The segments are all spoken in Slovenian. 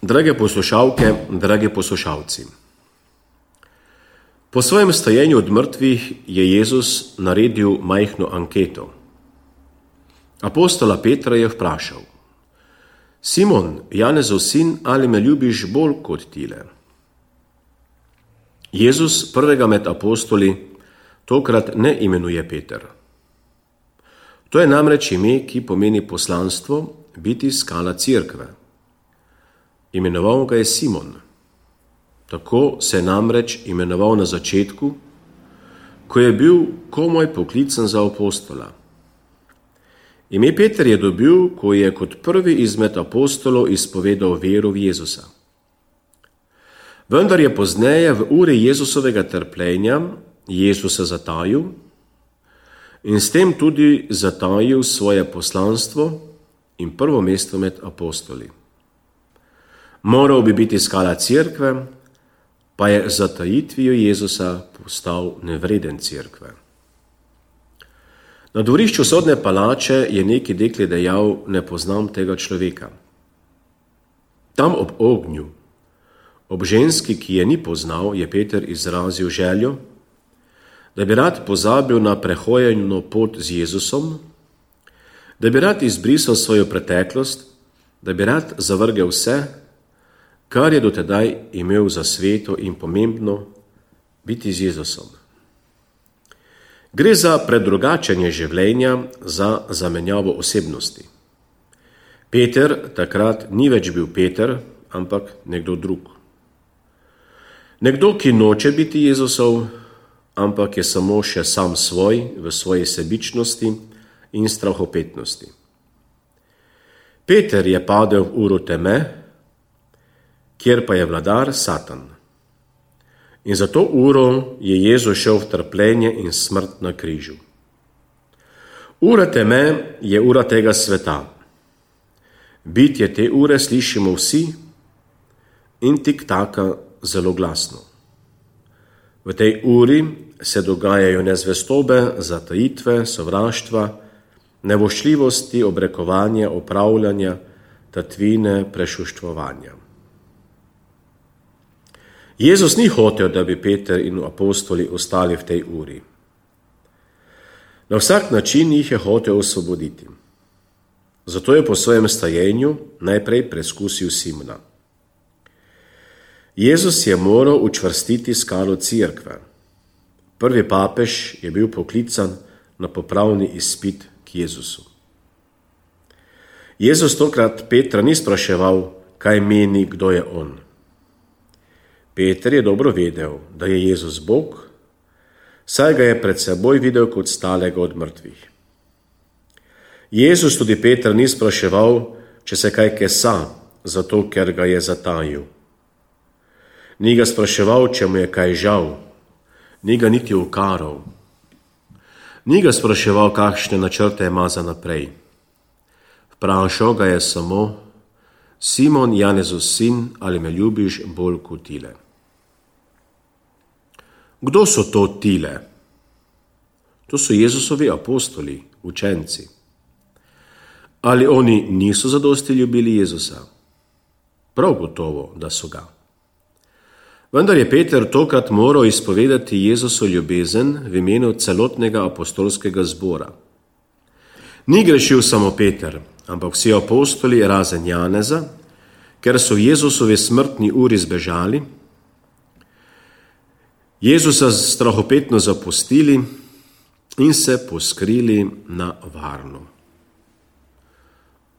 Drage poslušalke, dragi poslušalci. Po svojem stajenju od mrtvih je Jezus naredil majhno anketo. Apostola Petra je vprašal: Simon, Janezov sin, ali me ljubiš bolj kot tile? Jezus prvega med apostoli tokrat ne imenuje Peter. To je namreč ime, ki pomeni poslanstvo, biti skala cerkve. Imenoval ga je Simon. Tako se je namreč imenoval na začetku, ko je bil komaj poklican za apostola. Ime Peter je dobil, ko je kot prvi izmed apostolov izpovedal vero v Jezusa. Vendar je pozneje v uri Jezusovega trpljenja Jezusa zatajil in s tem tudi zatajil svoje poslanstvo in prvo mesto med apostoli. Moral bi biti skala cerkve, pa je zatajitvijo Jezusa postal nevreden cerkve. Na dvorišču sodne palače je neki dekle dejal: ne poznam tega človeka. Tam ob ognju, ob ženski, ki je ni poznal, je Peter izrazil željo, da bi rad pozabil na prehojeno pot z Jezusom, da bi rad izbrisal svojo preteklost, da bi rad zavrgel vse, kar je dotedaj imel za sveto in pomembno, biti z Jezusom. Gre za predrugačenje življenja, za zamenjavo osebnosti. Peter takrat ni več bil Peter, ampak nekdo drug. Nekdo, ki noče biti Jezusov, ampak je samo še sam svoj v svoji sebičnosti in strahopetnosti. Peter je padel v uro teme, kjer pa je vladar Satan. In za to uro je Jezus šel v trpljenje in smrt na križu. Ura teme je ura tega sveta. Bitje te ure slišimo vsi in tik-taka zelo glasno. V tej uri se dogajajo nezvestobe, zatajitve, sovraštva, nevoščljivosti, obrekovanja, opravljanja, tatvine, prešuštvovanja. Jezus ni hotel, da bi Peter in apostoli ostali v tej uri. Na vsak način jih je hotel osvoboditi. Zato je po svojem stajenju najprej preskusil Simona. Jezus je moral učvrstiti skalo cerkve. Prvi papež je bil poklican na popravni izpit k Jezusu. Jezus tokrat Petra ni spraševal, kaj meni, kdo je on. Peter je dobro vedel, da je Jezus Bog, saj ga je pred seboj videl kot stalega od mrtvih. Jezus tudi Petra ni spraševal, če se kaj kesa, zato ker ga je zatajil. Ni ga spraševal, če mu je kaj žal, ni ga niti ukaral. Ni ga spraševal, kakšne načrte ima za naprej. Vprašal ga je samo: Simon, Janezov sin, ali me ljubiš bolj kot tile? Kdo so to tile? To so Jezusovi apostoli, učenci. Ali oni niso zadosti ljubili Jezusa? Prav gotovo, da so ga. Vendar je Peter tokrat moral izpovedati Jezusu ljubezen v imenu celotnega apostolskega zbora. Ni grešil samo Peter, ampak vsi apostoli razen Janeza, ker so v Jezusovi smrtni uri zbežali, Jezusa strahopetno zapustili in se poskrili na varno.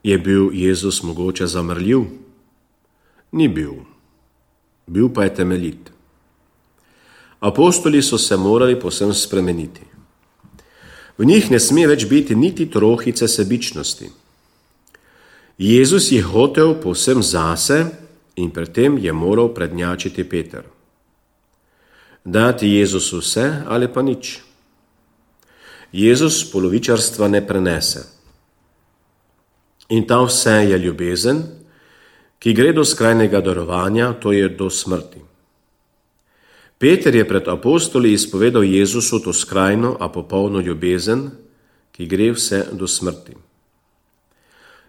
Je bil Jezus mogoče zamrljiv? Ni bil. Bil pa je temeljit. Apostoli so se morali povsem spremeniti. V njih ne sme več biti niti trohice sebičnosti. Jezus je hotel povsem zase in pred tem je moral prednjačiti Peter. Dati Jezusu vse ali pa nič. Jezus polovičarstva ne prenese. In ta vse je ljubezen, ki gre do skrajnega darovanja, to je do smrti. Peter je pred apostoli izpovedal Jezusu to skrajno, a popolno ljubezen, ki gre vse do smrti.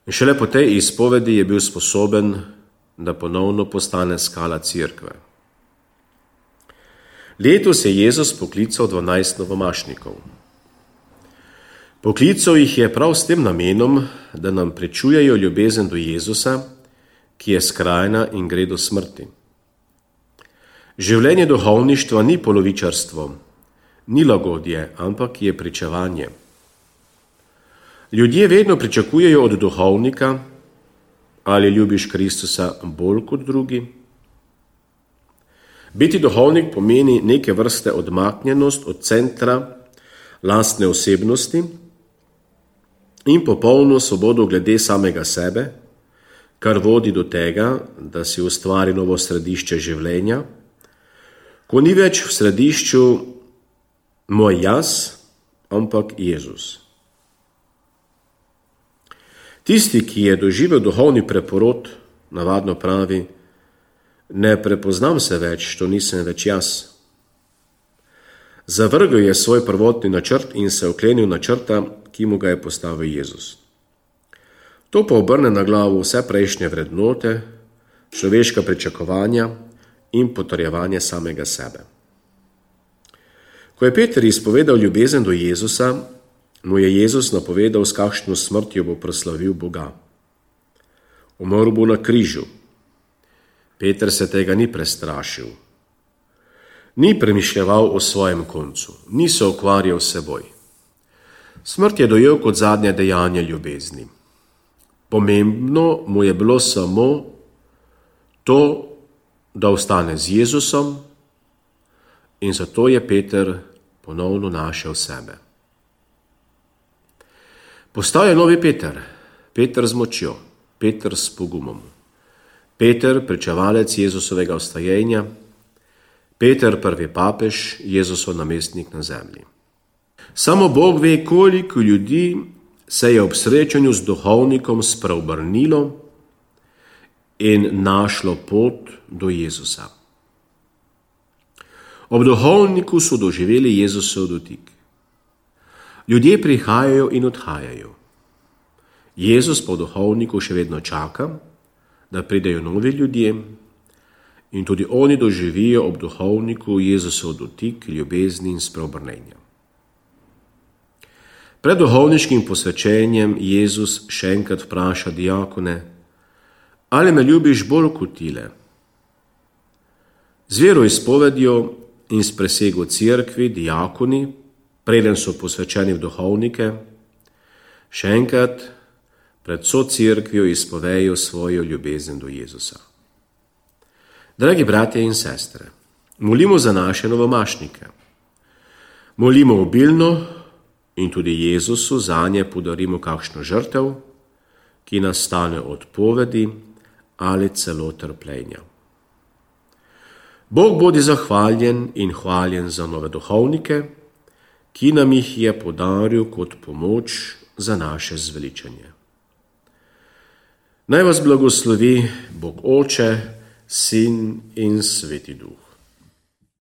In šele po tej izpovedi je bil sposoben da ponovno postane skala cerkve. Letos je Jezus poklical 12 novomašnikov. Poklical jih je prav s tem namenom, da nam prečujejo ljubezen do Jezusa, ki je skrajna in gre do smrti. Življenje duhovništva ni polovičarstvo, ni lagodje, ampak je pričevanje. Ljudje vedno pričakujejo od duhovnika, ali ljubiš Kristusa bolj kot drugi. Biti duhovnik pomeni neke vrste odmaknjenost od centra lastne osebnosti in popolno svobodo glede samega sebe, kar vodi do tega, da si ustvari novo središče življenja, ko ni več v središču moj jaz, ampak Jezus. Tisti, ki je doživel duhovni preporod, navadno pravi, ne prepoznam se več, to nisem več jaz. Zavrgel je svoj prvotni načrt in se oklenil načrta, ki mu ga je postavil Jezus. To pa obrne na glavo vse prejšnje vrednote, človeška pričakovanja in potrjevanje samega sebe. Ko je Peter izpovedal ljubezen do Jezusa, mu je Jezus napovedal, s kakšno smrtjo bo proslavil Boga. Umrl bo na križu. Peter se tega ni prestrašil. Ni premišljeval o svojem koncu, ni se ukvarjal s seboj. Smrt je dojel kot zadnje dejanje ljubezni. Pomembno mu je bilo samo to, da ostane z Jezusom, in zato je Peter ponovno našel sebe. Postal je novi Peter, Peter z močjo, Peter s pogumom, Peter, pričevalec Jezusovega vstajenja, Peter, prvi papež, Jezusov namestnik na zemlji. Samo Bog ve, koliko ljudi se je ob srečanju z duhovnikom spreobrnilo in našlo pot do Jezusa. Ob duhovniku so doživeli Jezusov dotik. Ljudje prihajajo in odhajajo. Jezus po duhovniku še vedno čaka, da pridejo novi ljudje, in tudi oni doživijo ob duhovniku Jezusov dotik, ljubezni in spreobrnenja. Pred duhovniškim posvečenjem Jezus še enkrat vpraša diakone, ali me ljubiš bolj kot tile? Z veroizpovedjo in s prisego cerkvi diakoni, preden so posvečeni v duhovnike, še enkrat pred vso cerkvijo izpovejo svojo ljubezen do Jezusa. Dragi bratje in sestre, molimo za naše novomašnike. Molimo obilno in tudi Jezusu zanje podarimo kakšno žrtev, ki nas stane odpovedi ali celo trpljenja. Bog bodi zahvaljen in hvaljen za nove duhovnike, ki nam jih je podaril kot pomoč za naše zveličanje. Naj vas blagoslovi Bog Oče, Sin in Sveti Duh.